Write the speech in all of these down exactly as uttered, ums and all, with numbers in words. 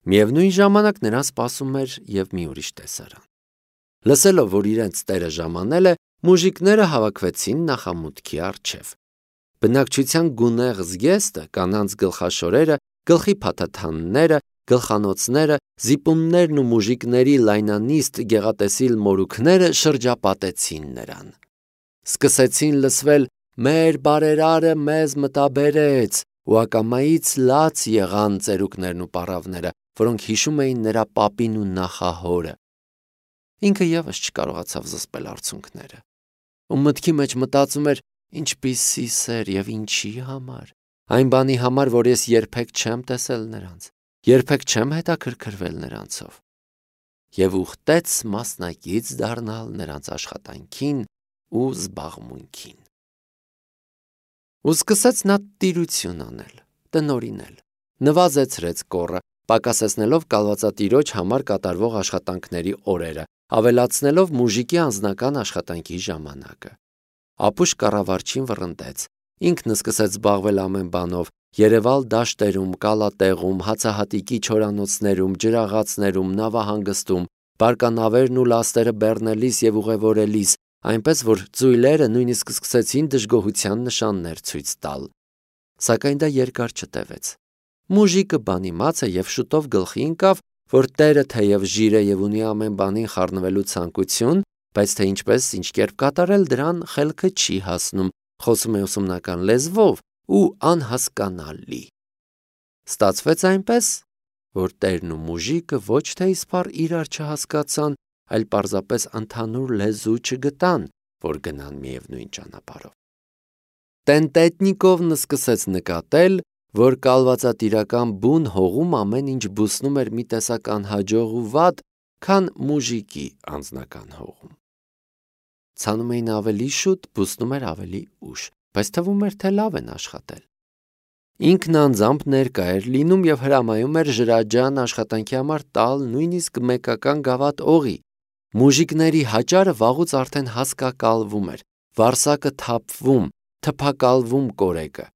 Միևնույն ժամանակ նրան սպասում էր և մի ուրիշ տեսարան։ Լսելով, որ իրենց տերը ժամանել է, մուժիկները հավաքվեցին նախամուտքի առջև։ Բնակչության գունեղ զգեստը, կանանց գլխաշորերը, գլխի փաթաթանները, գլխանոցները, զիպումներն ու մուժիկների լայնանիստ գեղատեսիլ մորուքները շրջապատեցին նրան։ Սկսեցին լսվել «Մեր բարերարը մեզ մտաբերեց» ու ակամայից լաց եղան ծերուկներն ու պառավները, որոնք հիշում էին նրա պապին ու նախահորը։ Ինքը ևս չկարողացավ զսպել արցունքները, ու մտքի մեջ մտածում էր. ինչպիսի սեր և ինչի համար, այն բանի համար, որ ես երբեք չեմ տեսել նրանց, երբեք չեմ հետաքրքրվել նրանցով, և ուխտեց մասնակից դառնալ նրանց աշխատանքին ու զբաղմունքին։ Ու սկսեց նա տիրություն անել, տնօրինել, նվազեցրեց կոռը, պակասեցնելով կալվածատիրոջ համար կատարվող աշխատանքների օրերը, ավելացնելով մուժիկի անձնական աշխատանքի ժամանակը։ Ապուշ կառավարչին վռնդեց, ինքն սկսեց զբաղվել ամեն բանով, երևալ դաշտերում, կալատեղում, հացահատիկի չորանոցներում, ջրաղացներում, նավահանգստում, բարկանավերն ու լաստերը բեռնելիս և ուղևորելիս, այնպես որ ծույլերը նույնիսկ սկսեցին դժգոհության նշաններ ցույց տալ։ Սակայն դա երկար չտևեց։ Մուժիկը բանիմաց է և շուտով գլխի ընկավ, որ տերը թեև ժիր է և ունի ամեն բանին խառնվելու ցանկություն, բայց թե ինչպես, ինչ կերպ կատարել դրան խելքը չի հասնում, խոսում է ուսումնական լեզվով ու անհասկանալի։ Ստացվեց այնպես, որ տերն ու մուժիկը ոչ թե իսպառ իրար չհասկացան, այլ պարզապես ընդհանուր լեզու չգտան, որ գնան միևնույն ճանապարհով։ Տենտետնիկովն սկսեց նկատել, որ կալվածատիրական բուն հողում ամեն ինչ բուսնում էր մի տեսակ անհաջող ու վատ, քան մուժիկի անձնական հողում։ Ցանում էին ավելի շուտ, բուսնում էր ավելի ուշ, բայց թվում էր, թե լավ են աշխատել։ Ինքն անձամբ ներկա էր լինում և հրամայում էր ջրաջան աշխատանքի համար տալ նույնիսկ մեկական գավաթ օղի։ Մուժիկների հաճարը վաղուց արդեն հասկակալվում էր, վարսակը թափվում, թփակալվում կորեկը,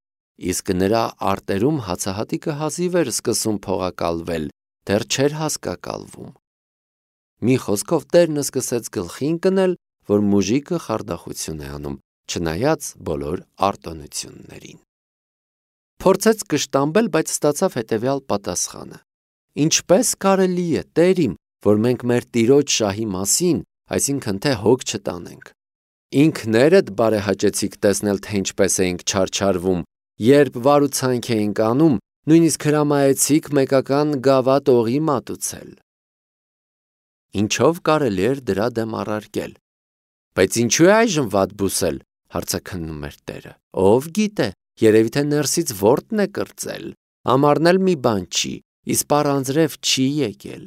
իսկ նրա արտերում հացահատիկը հազիվ էր սկսում փողակալվել, դեռ չէր հասկակալվում։ Մի խոսքով տերն սկսեց գլխի ընկնել, որ մուժիկը խարդախություն է անում, չնայած բոլոր արտոնություններին։ Փորձեց կշտամբել, բայց ստացավ հետևյալ պատասխանը. «Ինչպե՞ս կարելի է, տեր իմ, որ մենք մեր տիրոջ շահի մասին, այսինքն թե հոգ չտանենք։ Ինքներդ բարեհաճեցիք տեսնել, թե ինչպես էինք չարչարվում, երբ վարուցանք էինք անում, նույնիսկ հրամայեցիք մեկական գավաթ օղի մատուցել։ Ինչով կարելի էր դրա դեմ առարկել։ Բայց ինչու է այժմ վատ բուսել, հարցաքննում էր տերը։ Ով գիտե, երևի թե ներսից որտն է կրծել, ամառն էլ մի բան չի, իսպառ անձրև չի եկել։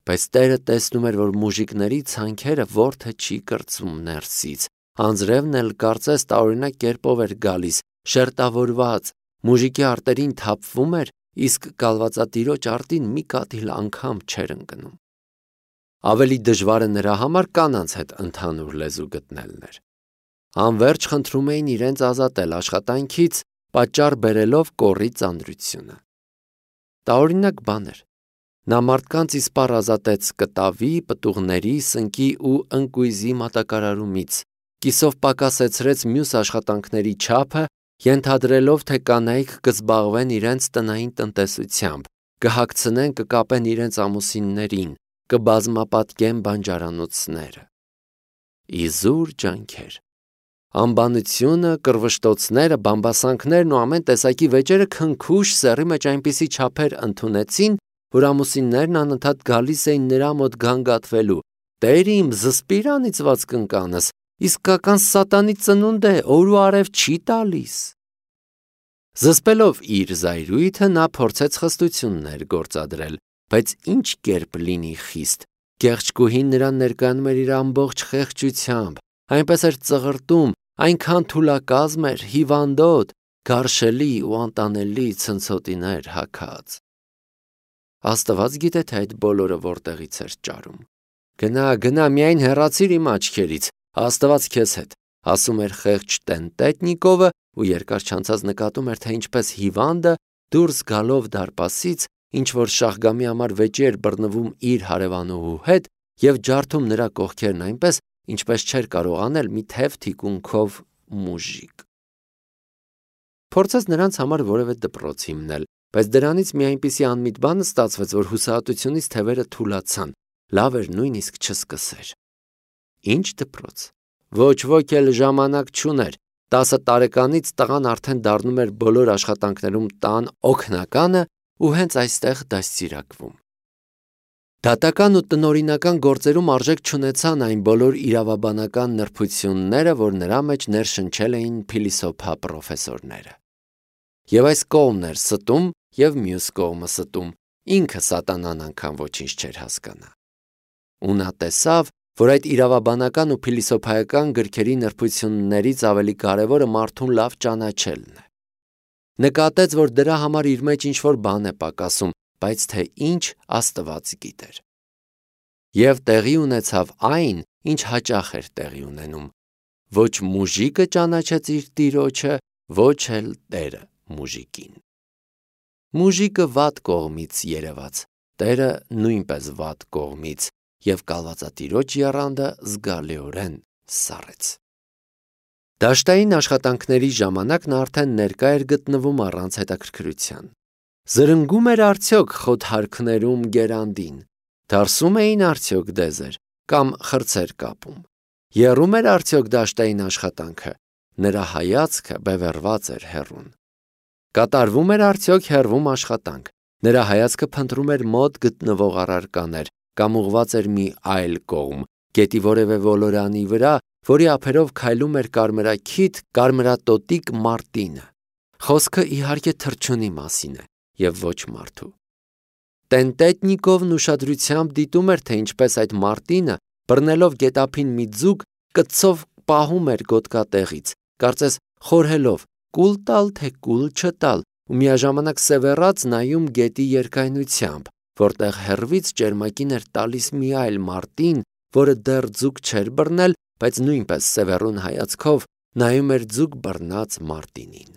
Բայց տերը տեսնում էր, որ մուժիկների ցանքերը որդը չի կրծում ներսից, անձրևն էլ կարծես տարօրինակ կերպով էր գալիս, շերտավորված, մուժիկի արտերին թափվում էր, իսկ կալվածատիրոջ արտին մի կաթիլ անգամ չէր ընկնում։ Ավելի դժվարը նրա համար կանանց հետ ընդհանուր լեզու գտնելն էր։ Անվերջ խնդրում էին իրենց ազատել աշխատանքից, պատճառ բերելով կոռի ծանրությունը։ Տարօրինակ բան էր։ Նա մարդկանց իսպառ ազատեց կտավի, պտուղների, սնկի ու ընկույզի մատակարարումից, կիսով պակասեցրեց մյուս աշխատանքների չափը, ենթադրելով, թե կանայք կզբաղվեն իրենց տնային տնտեսությամբ, կհագցնեն, կկապեն իրենց ամուսիններին, կբազմապատկեն բանջարանոցները։ Իզուր ջանքեր։ Անբանությունը, կռվշտոցները, բամբասանքներն ու ամեն տեսակի վեճերը քնքուշ սեռի մեջ այնպիսի չափեր ընդունեցին, որ ամուսիններն անընդհատ գալիս էին նրա մոտ գանգատվելու. «Տեր իմ, զսպիր անիծված կնկանս, իսկական սատանի ծնունդ է, օր ու արև չի տալիս»։ Զսպելով իր զայրույթը նա փորձեց խստություններ գործադրել, բայց ինչ կերպ լինի խիստ։ Կեղճկուհին նրան ներկայանում էր իր ամբողջ խեղճությամբ, այնպես էր ծղրտում, այնքան թուլակազմ էր, հիվանդոտ, գարշելի ու անտանելի ցնցոտիներ հագած։ Աստված գիտե, թե այդ բոլորը որտեղից էր ճարում։ Գնա, գնա, միայն հեռացիր իմ աչքերից, Աստված քեզ հետ, ասում էր խեղճ Տենտետնիկովը ու երկար չանցած նկատում էր, թե ինչպես հիվանդը դուրս գալով դարպասից ինչ որ Շահգամի համար վեճի էր բռնվում իր հարևանուհու հետ և ջարդում նրա կողքերն այնպես, ինչպես չէր կարող անել մի թև թիկունքով մուժիկ։ Փորձեց նրանց համար որևէ դպրոց հիմնել, բայց դրանից մի այնպիսի անմիտ բան ստացվեց, որ հուսահատությունից թևերը թուլացան, լավ էր նույնիսկ չսկսեր։ Ինչ դպրոց։ Ոչ ոք էլ ժամանակ չուներ, տասը տարեկանից տղան արդեն դառնում էր բոլոր աշխատանքներում տան օգնականը ու հենց այստեղ դաստիարակվում։ Դատական ու տնօրինական գործերում արժեք չունեցան այն բոլոր իրավաբանական նրբությունները, որ նրա մեջ ներշնչել էին փիլիսոփա պրոֆեսորները։ Եվ այս կողմն էր ստում և մյուս կողմը ստում, ինքը սատանան անգամ ոչինչ չէր հասկանա։ Ու նա տեսավ, որ այդ իրավաբանական ու փիլիսոփայական գրքերի նրբություններից ավելի կարևորը մարդուն լավ ճանաչելն է։ Նկատեց, որ դրա համար իր մեջ ինչ-որ բան է պակասում, բայց թե ինչ Աստված գիտեր։ Եվ տեղի ունեցավ այն, ինչ հաճախ էր տեղի ունենում։ Ոչ մուժիկը ճանաչեց իր տիրոջը, ոչ էլ տերը մուժիկին։ Մուժիկը վատ կողմից երևաց, տերը նույնպես վատ կողմից, և կալվածատիրոջ եռանդը զգալիորեն սառեց։ Դաշտային աշխատանքների ժամանակ նա արդեն ներկա էր գտնվում առանց հետաքրքրության։ Զրնգում էր արդյոք խոթարքներում գերանդին, դարսում էին արդյոք դեզեր կամ խրձեր կապում, եռում էր արդյոք դաշտային աշխատանքը, նրա հայացքը բևեռված էր հեռուն։ Կատարվում էր արդյոք հեռվում աշխատանք, նրա հայացքը փնտրում էր մոտ գտնվող առարկաներ կամ ուղղված էր մի այլ կողմ, գետի որևէ ոլորանի վրա, որի ափերով քայլում էր կարմրաքիթ կարմրատոտիկ մարտինը։ Խոսքը իհարկե թռչունի մասին է և ոչ մարդու։ Տենտետնիկովն ուշադրությամբ դիտում էր, թե ինչպես այդ մարտինը, բռնելով գետափին մի ձուկ, կցով պահում էր գոտկատեղից, կարծես խորհելով կուլ տալ, թե կուլ չտալ, ու միաժամանակ սևեռած նայում գետի երկայնությամբ, որտեղ հեռվից ճերմակին էր տալիս մի այլ մարտին, որը դեռ ձուկ չէր բռնել, բայց նույնպես սևեռուն հայացքով նայում էր ձուկ բռնած մարտինին։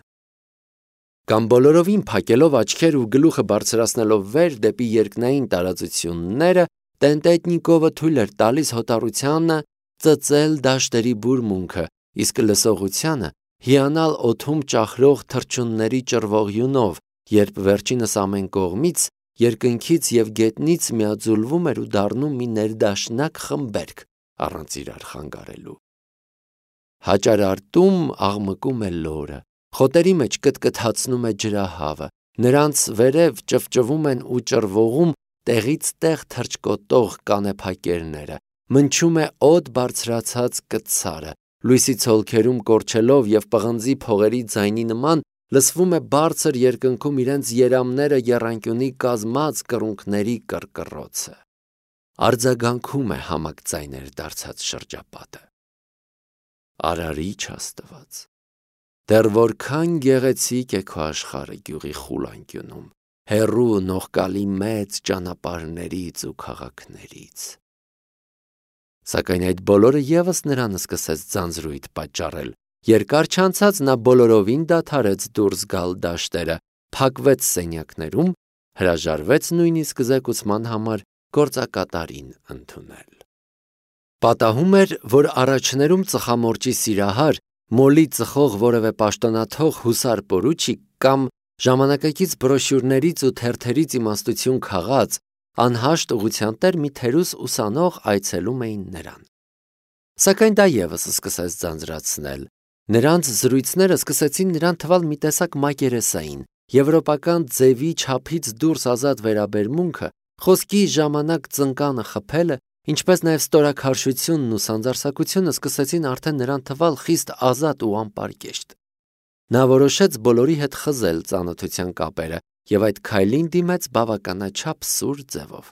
Կամ բոլորովին փակելով աչքեր ու գլուխը բարձրացնելով վեր դեպի երկնային տարածությունները, Տենտետնիկովը թույլ էր տալիս հոտառությանը ծծել դաշտերի բուրմունքը, իսկ լսողությանը հիանալ օդում ճախրող թռչունների ճռվողյունով, երբ վերջինս ամեն կողմից, երկնքից և գետնից միաձուլվում էր ու դառնում մի ներդաշնակ խմբերգ առանց իրար խանգարելու։ Հաճարարտում աղմկում է լորը, խոտերի մեջ կտկթացնում է ջրահավը, նրանց վերև ճվճվում են ու ճռվողում տեղից տեղ թռչկոտող կանեփակերները, մնչում է օդ բարձրացած կցարը, լույսի ցոլքերում կորչելով և պղնձի փողերի ձայնի նման լսվում է բարձր երկնքում իրենց երամները եռանկյունի կազմած կռունկների կռկռոցը։ Արձագանքում է համակ ձայներ դարձած շրջապատը։ Արարիչ Աստված, դեռ որքան գեղեցիկ է քո աշխարհը գյուղի խուլանկյունում, հեռու նողկալի մեծ ճանապարհներից ու քաղաքներից։ Սակայն այդ բոլորը ևս նրան սկսեց ձանձրույթ պատճառել։ Երկար չանցած նա բոլորովին դադարեց դուրս գալ դաշտերը, փակվեց սենյակներում, հրաժարվեց նույնիսկ զեկուցման համար գործակատարին ընդունել։ Պատահում էր, որ առաջներում ծխամորճի սիրահար, մոլի ծխող որևէ պաշտոնաթող հուսար պորուչիկ կամ ժամանակակից բրոշյուրներից ու թերթերից իմաստություն քաղած, անհաշտ ուղղության տեր մի թերուս ուսանող այցելում էին նրան։ Սակայն դա ևս սկսեց ձանձրացնել։ Նրանց զրույցները սկսեցին նրան թվալ մի տեսակ մակերեսային, եվրոպական ձևի չափից դուրս ազատ վերաբերմունքը, խոսքի ժամանակ ծնկանը խփելը, ինչպես նաև ստորաքարշությունն ու սանձարսակությունը սկսեցին արդեն նրան թվալ խիստ ազատ ու անպարկեշտ։ Նա որոշեց բոլորի հետ խզել ծանոթության կապերը և այդ քայլին դիմեց բավականաչափ սուր ձևով։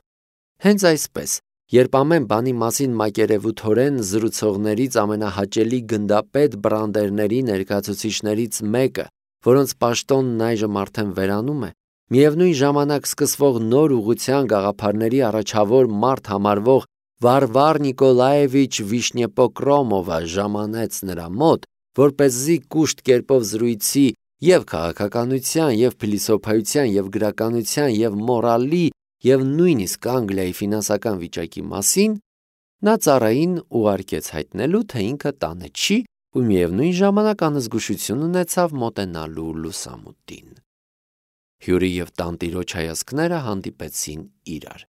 Հենց այսպես, երբ ամեն բանի մասին մակերևութորեն զրուցողներից ամենահաճելի գնդապետ բրանդերների ներկայացուցիչներից մեկը, որոնց պաշտոնն այժմ արդեն վերանում է, միևնույն ժամանակ սկսվող նոր ուղղության գաղափարների առաջավոր մարդ համարվող Վարվար Նիկոլաևիչ Վիշնեպոկրոմովը ժամանեց նրա մոտ, որպեսզի կուշտ կերպով զրույցի Եվ քաղաքականության, եւ փիլիսոփայության, եւ գրականության, եւ մորալի, եւ նույնիսկ Անգլիայի ֆինանսական վիճակի մասին, նա ծառային ուղարկեց հայտնելու, թե ինքը տանը չի ու միևնույն ժամանակ անզգուշություն ունեցավ մոտենալու լուսամուտին։ Հյուրի եւ տանտիրոջ հայացքները հանդիպեցին իրար։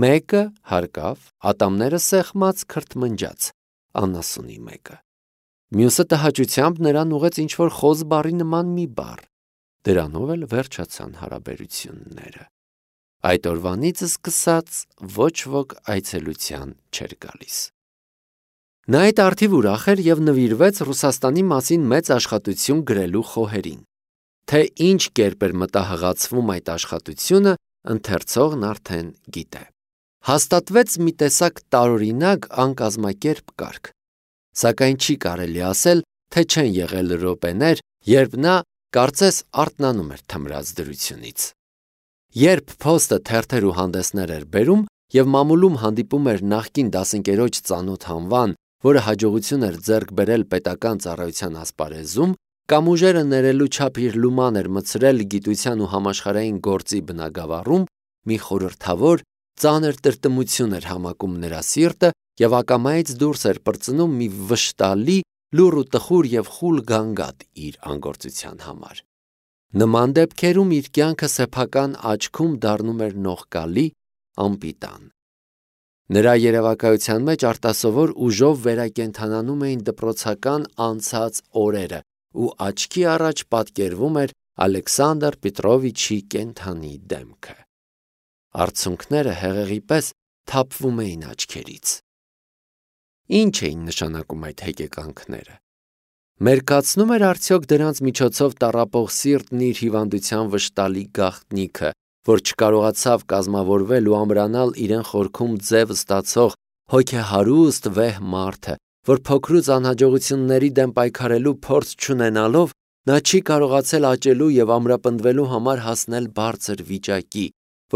Մեկը հարկավ, ատամները սեղմած քրթմնջաց, անասունի մեկը։ Մյուսը տհաճությամբ նրան ուղեց ինչ-որ խոզ բառի նման մի բառ։ Դրանով էլ վերջացան հարաբերությունները։ Այդ օրվանից սկսած ոչ ոք այցելության չէր գալիս։ Նա այդ արդիվ ուրախ էր եւ նվիրվեց Ռուսաստանի մասին մեծ աշխատություն գրելու խոհերին։ Թե ինչ կերպ էր մտահղացվում այդ աշխատությունը, ընթերցողն արդեն գիտե։ Հաստատվեց մի տեսակ տարօրինակ անկազմակերպ կարգ։ Սակայն չի կարելի ասել, թե չեն եղել րոպեներ, երբ նա կարծես արթնանում էր թմրած դրությունից։ Երբ փոստը թերթեր ու հանդեսներ էր բերում եւ մամուլում հանդիպում էր նախկին դասընկերոջ ծանոթ Հանվան, որը հաջողություն էր ձեռք բերել պետական ծառայության ասպարեզում, կամ ուժերը ներելու չափ իր լուման էր մցրել գիտության ու համաշխարհային գործի բնագավառում, մի խորհրդավոր ծանր տրտմություն էր համակում նրա սիրտը եւ ակամայից դուրս էր պրծնում մի վշտալի, լուռ ու տխուր եւ խուլ գանգատ իր անգործության համար։ Նման դեպքերում իր կյանքը սեփական աչքում դառնում էր նողկալի, անպիտան։ Նրա երևակայության մեջ արտասովոր ուժով վերակենդանանում էին դպրոցական անցած օրերը ու աչքի առաջ պատկերվում էր Ալեքսանդր Պետրովիչի կենդանի դեմքը։ Արցունքները հեղեղի պես թափվում էին աչքերից։ Ինչ էին նշանակում այդ հեկեկանքները։ Մերկացնում էր արդյոք դրանց միջոցով տառապող սիրտն իր հիվանդության վշտալի գաղտնիքը, որ չկարողացավ կազմավորվել ու ամրանալ իրեն խորքում ձև ստացող հոգեհարուստ վեհ մարդը, որ փոքրուց անհաջողությունների դեմ պայքարելու փորձ չունենալով նա չի կարողացել աճելու եւ ամրապնդվելու համար հասնել բարձր վիճակի,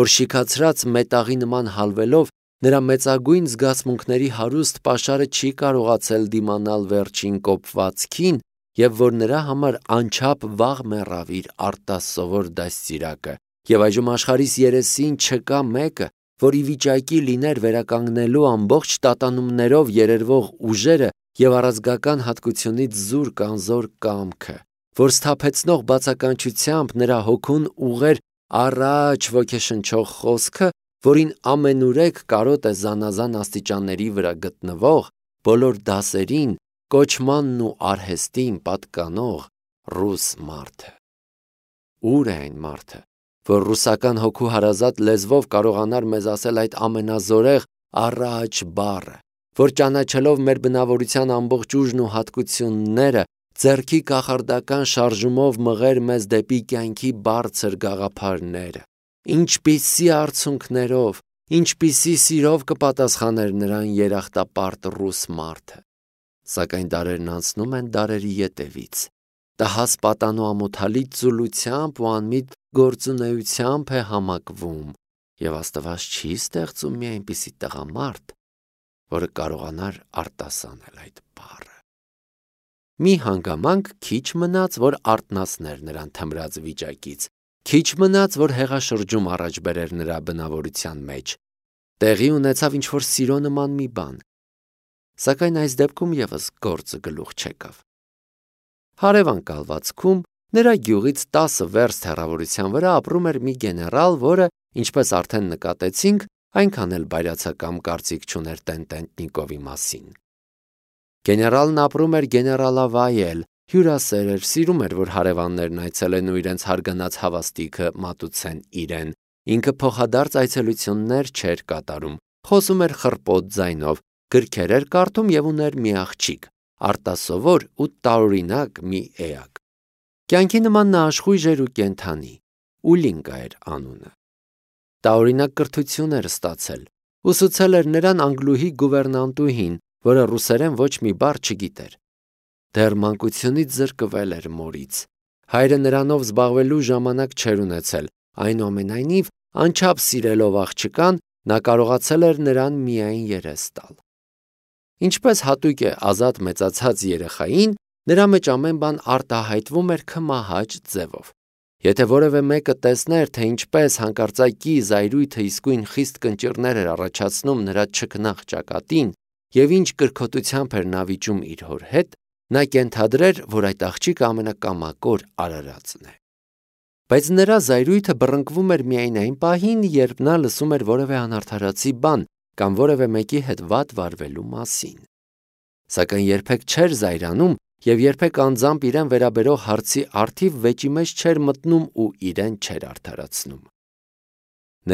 որ շիքացրած մետաղի նման հալվելով նրա մեծագույն զգացմունքների հարուստ պաշարը չի կարողացել դիմանալ վերջին կոփվածքին եւ որ նրա համար անչափ վաղ մեռավ իր արտասովոր դաստիարակը եւ այժմ աշխարհիս երեսին չկա մեկը, որ ի վիճակի լիներ վերականգնելու ամբողջ տատանումներով երերվող ուժերը եւ առազգական հատկությունից զուր կանզոր կամքը, որ սթափեցնող բացականչությամբ նրա հոգուն ուղեր առաջ ոգեշնչող խոսքը, որին ամենուրեք կարոտ է զանազան աստիճանների վրա գտնվող, բոլոր դասերին, կոչմանն ու արհեստին պատկանող ռուս մարդը։ Ուր է այն մարդը, որ ռուսական հոգու հարազատ լեզվով կարողանար մեզ ասել այդ ամենազորեղ առաջ բառը, որ ճանաչելով մեր բնավորության ամբողջ ուժն ու հատկությունները, ձեռքի կախարդական շարժումով մղեր մեզ դեպի կյանքի բարձր գաղափարները։ Ինչպիսի արցունքներով, ինչպիսի սիրով կպատասխաներ նրան երախտապարտ ռուս մարդը։ Սակայն դարերն անցնում են դարերի ետևից։ Տհաս պատանու ամոթալի ծուլությամբ ու անմիտ գործունեությամբ է համակվում, եւ Աստված չի ստեղծում մի այնպիսի տղամարդ, որը կարողանար արտասանել այդ բառը։ Մի հանգամանք քիչ մնաց, որ արթնացներ նրան թմրած վիճակից, քիչ մնաց, որ հեղաշրջում առաջ բերեր նրա բնավորության մեջ։ Տեղի ունեցավ ինչ-որ սիրո նման մի բան։ Սակայն այս դեպքում եւս գործը գլուխ չեկավ։ Հարևան կալվածքում նրա գյուղից տասը վերստ հեռավորության վրա ապրում էր մի գեներալ, որը, ինչպես արդեն նկատեցինք, այնքան էլ բայրացակամ կարծիք չուներ Տեն-Տենտնիկովի մասին։ Գեներալն ապրում էր գեներալավայել, հյուրասեր էր, սիրում էր, որ հարևաններն այցելեն ու իրենց հարգանած հավաստիքը մատուցեն իրեն։ Ինքը փոխադարձ այցելություններ չէր կատարում, խոսում էր խռպոտ ձայնով, գրքեր էր կարդում եւ ուներ մի աղջիկ, արտասովոր ու տարօրինակ մի էակ։ Կյանքի նման նա աշխույժ էր ու կենդանի, Ուլինկա էր անունը։ Տարօրինակ կրթություն էր ստացել, ուսուցել էր նրան անգլուհի գուվերնանտուհին, որը ռուսերեն ոչ մի բառ չգիտեր։ Դեռ մանկությունից զրկվել էր մորից։ Հայրը նրանով զբաղվելու ժամանակ չէր ունեցել, այնուամենայնիվ, անչափ սիրելով աղջկան, նա կարողացել էր նրան միայն երես տալ։ Ինչպես հատուկ է ազատ մեծացած երեխային, Նրա մեջ ամեն բան արտահայտվում էր քմահաճ ձևով։ Եթե որևէ մեկը տեսներ, թե ինչպես հանկարծակի զայրույթը իսկույն խիստ կնճիռներ էր առաջացնում նրա չքնաղ ճակատին եւ ինչ կրքոտությամբ էր նա վիճում իր հոր հետ, նա կենթադրեր, որ այդ աղջիկը ամենակամակոր արարածն է։ Բայց նրա զայրույթը բռնկվում էր միայն այն պահին, երբ նա լսում էր որևէ անարդարացի բան կամ որևէ մեկի հետ վատ վարվելու մասին։ Սակայն երբեք չէր զայրանում եւ երբեք անձամբ իրեն վերաբերող հարցի առթիվ վեճի մեջ չէր մտնում ու իրեն չէր արդարացնում։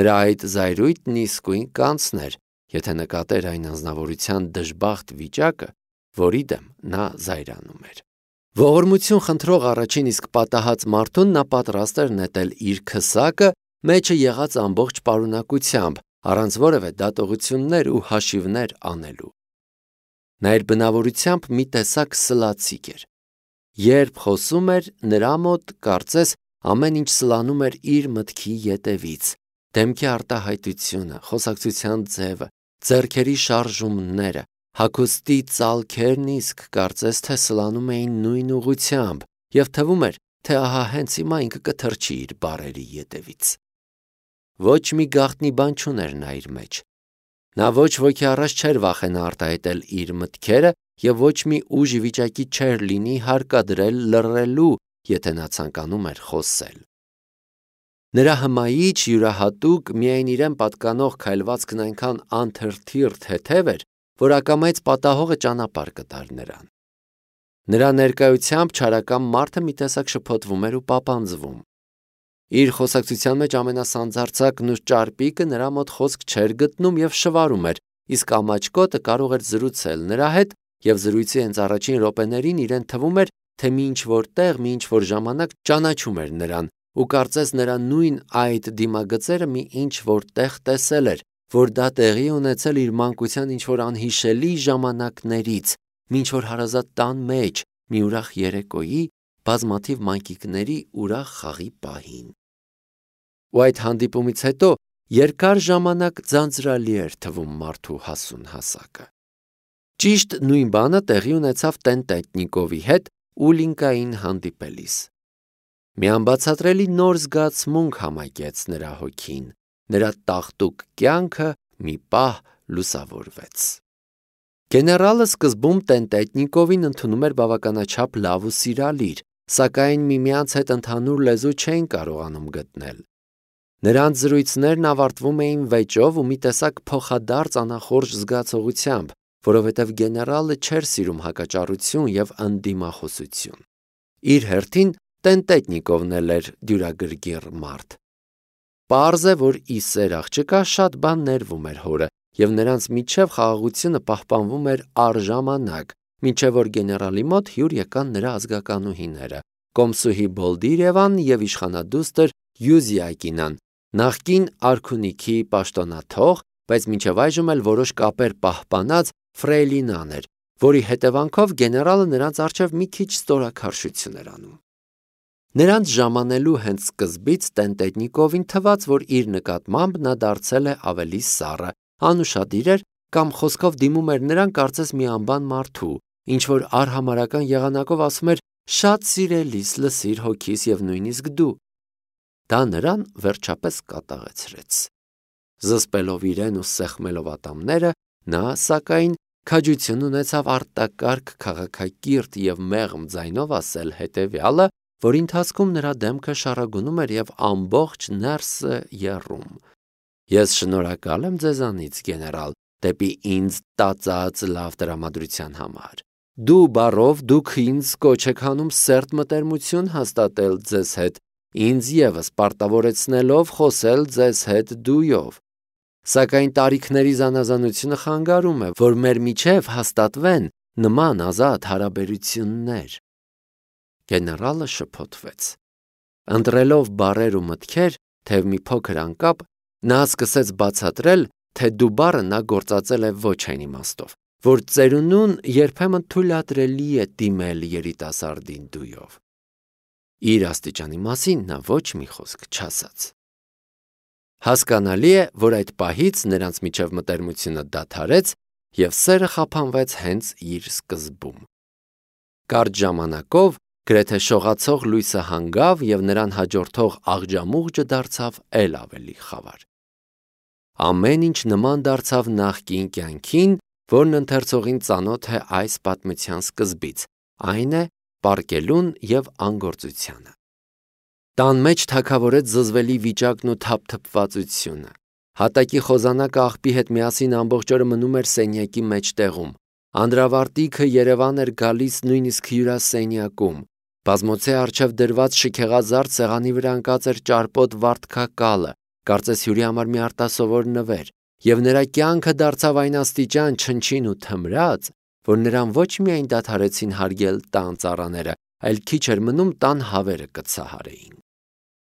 Նրա այդ զայրույթն իսկույն կանցներ, եթե նկատեր այն անձնավորության դժբախտ վիճակը, որի դեմ նա զայրանում էր։ Ողորմություն խնդրող առաջին իսկ պատահած մարդուն նա պատրաստ էր նետել իր քսակը մեջը եղած ամբողջ պարունակությամբ, առանց որևէ դատողություններ ու հաշիվներ անելու։ Նա իր բնավորությամբ մի տեսակ սլացիկ էր։ Երբ խոսում էր, նրա մոտ կարծես ամեն ինչ սլանում էր իր մտքի ետևից, դեմքի արտահայտությունը, խոսակցության ձևը, ձեռքերի շարժումները, հագուստի ծալքերն իսկ կարծես թե սլանում էին նույն ուղղությամբ եւ թվում էր, թե ահա հենց հիմա ինքը կթռչի իր բառերի ետևից։ Ոչ մի գաղտնի բան չուներ նա իր մեջ։ Նա ոչ ոքի առաջ չէր վախենա արտահայտել իր մտքերը եւ ոչ մի ուժ վիճակի չէր լինի հարկադրել լռելու, եթե նա ցանկանում էր խոսել։ Նրա հմայիչ, յուրահատուկ, միայն իրեն պատկանող քայլվածքն այնքան անթրթիռ թեթև էր, որ ակամայից պատահողը ճանապարհ կտար նրան։ Նրա ներկայությամբ չարական մարդը մի տեսակ շփոթվում էր ու պապանձվում։ Իր խոսակցության մեջ ամենասանձարձակն ու ճարպիկը նրա մոտ խոսք չէր գտնում եւ շվարում էր, իսկ ամաչկոտը կարող էր զրուցել նրա հետ եւ զրույցի հենց առաջին րոպեներին իրեն թվում էր, թե մի ինչ-որ տեղ, մի ինչ-որ ժամանակ ճանաչում էր նրան ու կարծես նրա նույն այդ դիմագծերը մի ինչ-որ տեղ տեսել էր, որ դա տեղի ունեցել իր մանկության ինչ-որ անհիշելի ժամանակներից, մի ինչ-որ հարազատ տան մեջ, մի ուրախ երեկոյի, բազմաթիվ մանկիկների ուրախ խաղի պահին։ Ու այդ հանդիպումից հետո երկար ժամանակ ձանձրալի էր թվում մարդու հասուն հասակը։ Ճիշտ նույն բանը տեղի ունեցավ Տենտետնիկովի հետ Ուլինկային հանդիպելիս։ Մի անբացատրելի նոր զգացմունք համակեց նրա հոգին, նրա տաղտուկ կյանքը մի պահ լուսավորվեց։ Գեներալը սկզբում Տենտետնիկովին ընդունում էր բավականաչափ լավ ու սիրալիր, սակայն միմյանց հետ ընդհանուր լեզու չէին կարողանում գտնել։ Նրանց զրույցներն ավարտվում էին վեճով ու մի տեսակ փոխադարձ անախորժ զգացողությամբ, որովհետև գեներալը չէր սիրում հակաճառություն եւ ընդդիմախոսություն։ Իր հերթին Տենտետնիկովն էլ էր դյուրագրգիռ մարդ։ Պարզ է, որ ի սեր աղջկա շատ բան ներվում էր հորը, եւ նրանց միջև խաղաղությունը պահպանվում էր առժամանակ, մինչև որ գեներալի մոտ հյուր եկան նրա ազգականուհիները՝ Կոմսուհի Բոլդիրևան եւ իշխանադուստր Յուզիակինան, նախկին արքունիքի պաշտոնաթող, բայց մինչև այժմ էլ որոշ կապեր պահպանած ֆրեյլինան էր, որի հետևանքով գեներալը նրանց առջև մի քիչ ստորաքարշություն էր անում։ Նրանց ժամանելու հենց սկզբից Տենտետնիկովին թվաց, որ իր նկատմամբ նա դարձել է ավելի սառը, անուշադիր էր կամ խոսքով դիմում էր նրան կարծես մի անբան մարդու, ինչ որ արհամարական եղանակով ասում էր շատ սիրելիս, լսիր հոգիս եւ նույնիսկ դու։ Դա նրան վերջապես կատաղեցրեց։ Զսպելով իրեն ու սեղմելով ատամները, նա, սակայն, քաջություն ունեցավ արտակարգ քաղաքակիրթ եւ մեղմ ձայնով ասել հետեւյալը, որի ընթացքում նրա դեմքը շարագունում էր եւ ամբողջ ներսը եռում։ Ես շնորհակալ եմ ձեզանից, գեներալ, դեպի ինձ տածած լավ տրամադրության համար։ Դու բառով դուք ինձ կոչ եք անում սերտ մտերմություն հաստատել ձեզ հետ, ինձ եւս պարտավորեցնելով խոսել ձեզ հետ դույով։ Սակայն տարիքների զանազանությունը խանգարում է, որ մեր միջև հաստատվեն նման ազատ հարաբերություններ։ Գեներալը շփոթվեց։ Ընտրելով բառեր ու մտքեր, թեև մի փոքր անկապ, նա սկսեց բացատրել, թե դու բառը նա գործածել է ոչ այն իմաստով, որ ծերունուն երբեմն թույլատրելի է դիմել երիտասարդին դույով։ Իր աստիճանի մասին նա ոչ մի խոսք չասաց։ Հասկանալի է, որ այդ պահից նրանց միջև մտերմությունը դադարեց եւ սերը խափանվեց հենց իր սկզբում։ Կարճ ժամանակով գրեթե շողացող լույսը հանգավ և նրան հաջորդող աղջամուղջը դարձավ էլ ավելի խավար։ Ամեն ինչ նման դարձավ նախկին կյանքին, որն ընթերցողին ծանոթ է այս պատմության սկզբից, այն է պառկելուն և անգործությանը։ Տան մեջ թագավորեց զզվելի վիճակն ու թափթփվածությունը։ Հատակի խոզանակը աղբի հետ միասին ամբողջ օրը մնում էր սենյակի մեջտեղում։ Անդրավարտիքը երևան էր գալիս նույնիսկ հյուրասենյակում։ Բազմոցի առջև դրված շքեղազարդ սեղանի վրա ընկած էր ճարպոտ վարդկակալը, կարծես հյուրի համար մի արտասովոր նվեր, և նրա կյանքը դարձավ այն աստիճան չնչին ու թմրած, որ նրան ոչ միայն դադարեցին հարգել տան ծառաները, այլ քիչ էր մնում տան հավերը կցահարեին։